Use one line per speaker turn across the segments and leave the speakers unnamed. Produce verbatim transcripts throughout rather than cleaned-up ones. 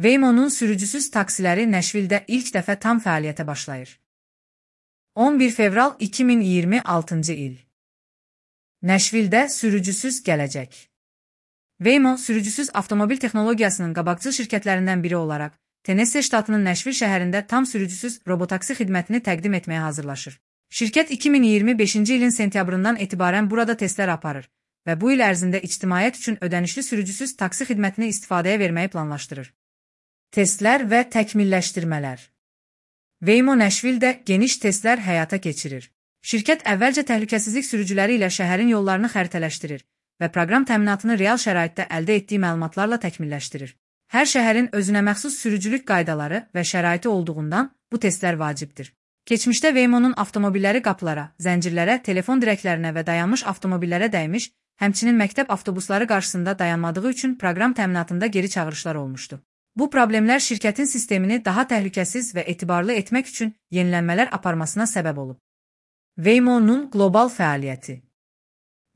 Waymo'nun sürücüsüz taksiləri Nəşvildə ilk dəfə tam fəaliyyətə başlayır. on bir fevral iki min iyirmi altıncı il. Nəşvildə sürücüsüz gələcək. Waymo, sürücüsüz avtomobil texnologiyasının qabaqcıl şirkətlərindən biri olaraq, Tennessee ştatının Nəşvil şəhərində tam sürücüsüz robotaksi xidmətini təqdim etməyə hazırlaşır. Şirkət iki min iyirmi beşinci ilin sentyabrından etibarən burada testlər aparır və bu il ərzində ictimaiyyət üçün ödənişli sürücüsüz taksi xidmətini istifadəyə verməyi planlaşdırır. Testlər və təkmilləşdirmələr. Waymo Nəşvildə geniş testlər həyata keçirir. Şirkət əvvəlcə təhlükəsizlik sürücüləri ilə şəhərin yollarını xəritələşdirir və proqram təminatını real şəraitdə əldə etdiyi məlumatlarla təkmilləşdirir. Hər şəhərin özünəməxsus sürücülük qaydaları və şəraiti olduğundan bu testlər vacibdir. Keçmişdə Waymo'nun avtomobilləri qapılara, zəncirlərə, telefon dirəklərinə və dayanmış avtomobillərə dəymiş, həmçinin məktəb avtobusları qarşısında dayanmadığı üçün proqram təminatında geri çağırışlar olmuşdu. Bu problemlər şirkətin sistemini daha təhlükəsiz və etibarlı etmək üçün yenilənmələr aparmasına səbəb olub. Waymo'nun qlobal fəaliyyəti.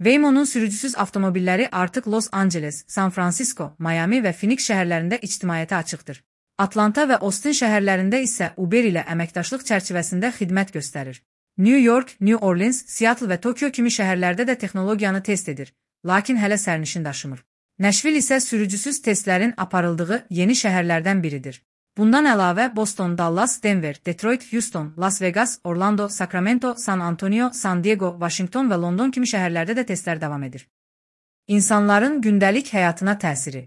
Waymo'nun sürücüsüz avtomobilləri artıq Los Angeles, San Francisco, Miami və Phoenix şəhərlərində ictimaiyyətə açıqdır. Atlanta və Austin şəhərlərində isə Uber ilə əməkdaşlıq çərçivəsində xidmət göstərir. New York, New Orleans, Seattle və Tokyo kimi şəhərlərdə də texnologiyanı test edir, lakin hələ sərnişin daşımır. Nəşvil isə sürücüsüz testlərin aparıldığı yeni şəhərlərdən biridir. Bundan əlavə Boston, Dallas, Denver, Detroit, Houston, Las Vegas, Orlando, Sacramento, San Antonio, San Diego, Washington və London kimi şəhərlərdə də testlər davam edir. İnsanların gündəlik həyatına təsiri.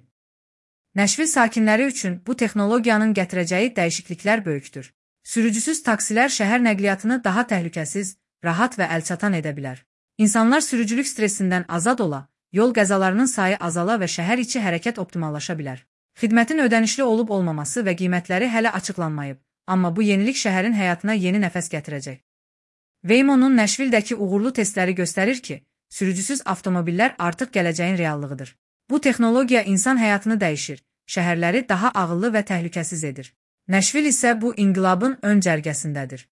Nəşvil sakinləri üçün bu texnologiyanın gətirəcəyi dəyişikliklər böyükdür. Sürücüsüz taksilər şəhər nəqliyyatını daha təhlükəsiz, rahat və əlçatan edə bilər. İnsanlar sürücülük stresindən azad ola, yol qəzalarının sayı azala və şəhər içi hərəkət optimallaşa bilər. Xidmətin ödənişli olub olmaması və qiymətləri hələ açıqlanmayıb, amma bu yenilik şəhərin həyatına yeni nəfəs gətirəcək. Waymo'nun Nəşvildəki uğurlu testləri göstərir ki, sürücüsüz avtomobillər artıq gələcəyin reallığıdır. Bu texnologiya insan həyatını dəyişir, şəhərləri daha ağıllı və təhlükəsiz edir. Nəşvil isə bu inqilabın ön cərgəsindədir.